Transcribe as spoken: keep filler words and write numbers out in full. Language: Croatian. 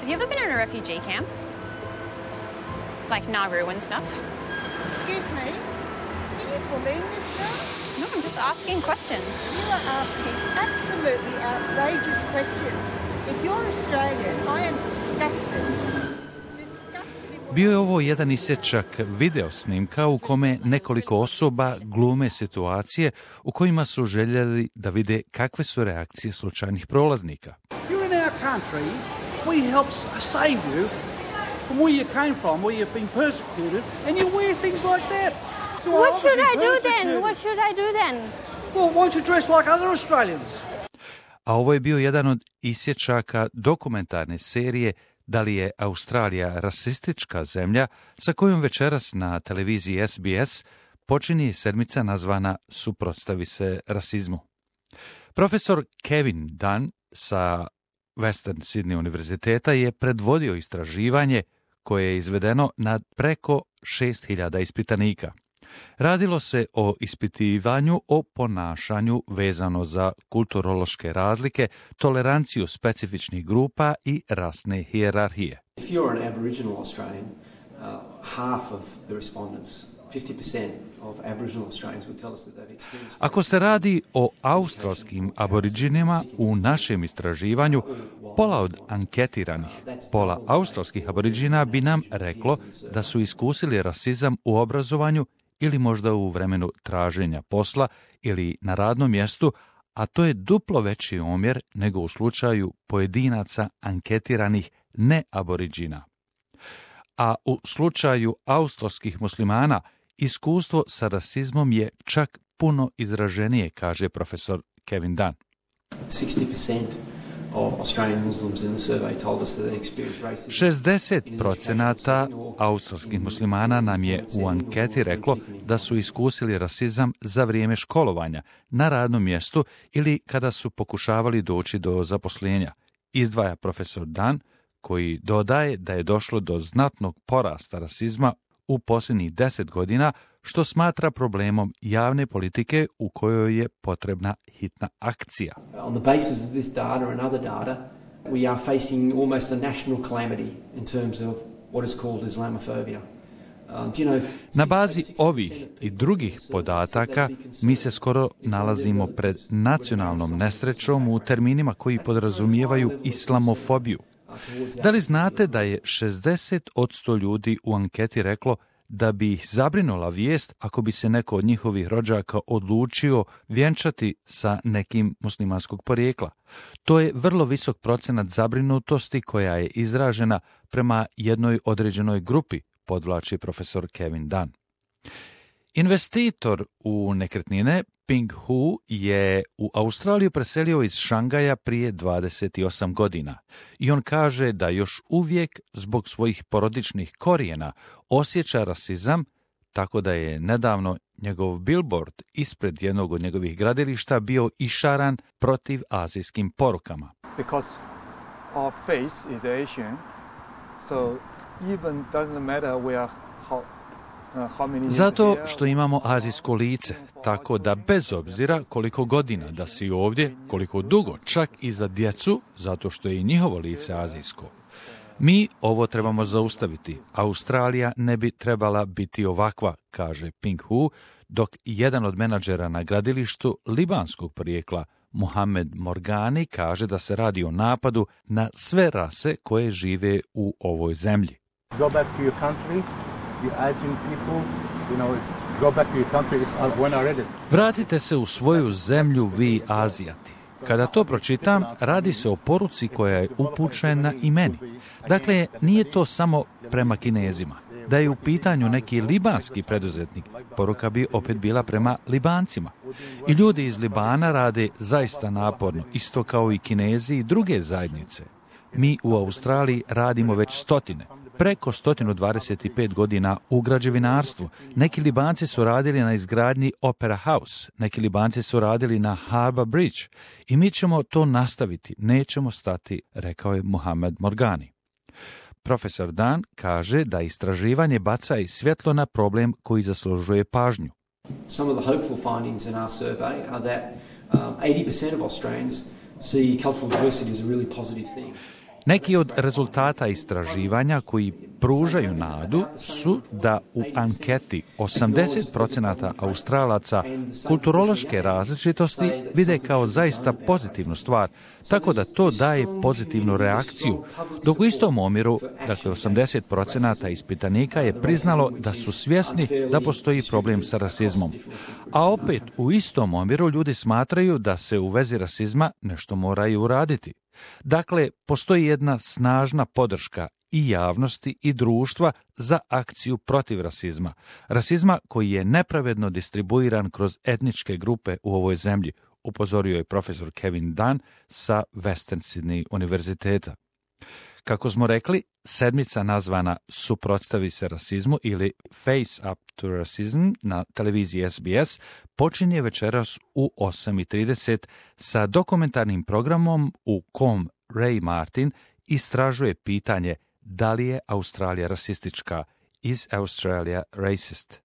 Have you ever been in a refugee camp? Like Nauru and stuff? Excuse me? Are you bullying this girl? No, I'm just asking questions. You are asking absolutely outrageous questions. If you're Australian, I am disgusted. Bio je ovo jedan isječak video snimka u kome nekoliko osoba glume situacije u kojima su željeli da vide kakve su reakcije slučajnih prolaznika. You're in our country, we help save you from where you came from, where you've been persecuted, and you wear things like that. What should I do then? What should I do then? Well, why don't you dress like other Australians? A ovo je bio jedan od isječaka dokumentarne serije Da li je Australija rasistička zemlja, sa kojom večeras na televiziji S B S počinje sedmica nazvana Suprotstavi se rasizmu. Profesor Kevin Dunn sa Western Sydney univerziteta je predvodio istraživanje koje je izvedeno nad preko šest hiljada ispitanika. Radilo se o ispitivanju o ponašanju vezano za kulturološke razlike, toleranciju specifičnih grupa i rasne hijerarhije. If you're an Aboriginal Australian, uh, half of the respondents, fifty percent of Aboriginal Australians would tell us that they've experienced... Ako se radi o australskim aboriđinima, u našem istraživanju pola od anketiranih, pola australskih aboriđina bi nam reklo da su iskusili rasizam u obrazovanju ili možda u vremenu traženja posla ili na radnom mjestu, a to je duplo veći omjer nego u slučaju pojedinaca anketiranih neaboriđina. A u slučaju australskih muslimana iskustvo sa rasizmom je čak puno izraženije, kaže profesor Kevin Dunn. sixty percent of Australian Muslims in the survey told us that they experienced racism. šezdeset procenata australskih muslimana nam je u anketi reklo da su iskusili rasizam za vrijeme školovanja, na radnom mjestu ili kada su pokušavali doći do zaposlenja, izdvaja profesor Dunn, koji dodaje da je došlo do znatnog porasta rasizma u posljednjih deset godina, što smatra problemom javne politike u kojoj je potrebna hitna akcija. On the basis of this data and other data, we are facing almost a national calamity in terms of what is called Islamophobia. Um, do you know, Na bazi ovih i drugih podataka mi se skoro nalazimo pred nacionalnom nesrećom u terminima koji podrazumijevaju islamofobiju. Da li znate da je šezdeset posto ljudi u anketi reklo da bi ih zabrinula vijest ako bi se neko od njihovih rođaka odlučio vjenčati sa nekim muslimanskog porijekla? To je vrlo visok procenat zabrinutosti koja je izražena prema jednoj određenoj grupi, podvlači profesor Kevin Dunn. Investitor u nekretnine Ping Hu je u Australiju preselio iz Šangaja prije dvadeset osam godina i on kaže da još uvijek zbog svojih porodičnih korijena osjeća rasizam, tako da je nedavno njegov billboard ispred jednog od njegovih gradilišta bio išaran protiv azijskim porukama. Because our face is Asian, so even doesn't matter where how Zato što imamo azijsko lice, tako da bez obzira koliko godina da si ovdje, koliko dugo, čak i za djecu, zato što je i njihovo lice azijsko. Mi ovo trebamo zaustaviti. Australija ne bi trebala biti ovakva, kaže Ping Hu, dok jedan od menadžera na gradilištu libanskog porijekla, Mohamed Morgani, kaže da se radi o napadu na sve rase koje žive u ovoj zemlji. Go back to your country. Vratite se u svoju zemlju, vi Azijati. Kada to pročitam, radi se o poruci koja je upućena i meni. Dakle, nije to samo prema Kinezima. Da je u pitanju neki libanski preduzetnik, poruka bi opet bila prema Libancima. I ljudi iz Libana rade zaista naporno, isto kao i Kinezi i druge zajednice. Mi u Australiji radimo već stotine. Preko sto dvadeset pet godina u građevinarstvu. Neki Libanci su radili na izgradnji Opera House, neki Libanci su radili na Harbour Bridge i mi ćemo to nastaviti, nećemo stati, rekao je Mohamed Morgani. Profesor Dunn kaže da istraživanje baca i svjetlo na problem koji zaslužuje pažnju. Some of the hopeful findings in our survey are that um, eighty percent of Australians see cultural diversity as a really positive thing. Neki od rezultata istraživanja koji pružaju nadu su da u anketi osamdeset procenata Australaca kulturološke različitosti vide kao zaista pozitivnu stvar, tako da to daje pozitivnu reakciju, dok u istom omjeru, dakle osamdeset procenata ispitanika je priznalo da su svjesni da postoji problem sa rasizmom. A opet u istom omjeru ljudi smatraju da se u vezi rasizma nešto moraju uraditi. Dakle, postoji jedna snažna podrška i javnosti i društva za akciju protiv rasizma. Rasizma koji je nepravedno distribuiran kroz etničke grupe u ovoj zemlji, upozorio je profesor Kevin Dunn sa Western Sydney univerziteta. Kako smo rekli, sedmica nazvana Suprotstavi se rasizmu ili Face Up to Racism na televiziji S B S počinje večeras u osam i trideset sa dokumentarnim programom u kom Ray Martin istražuje pitanje da li je Australija rasistička. Is Australia racist?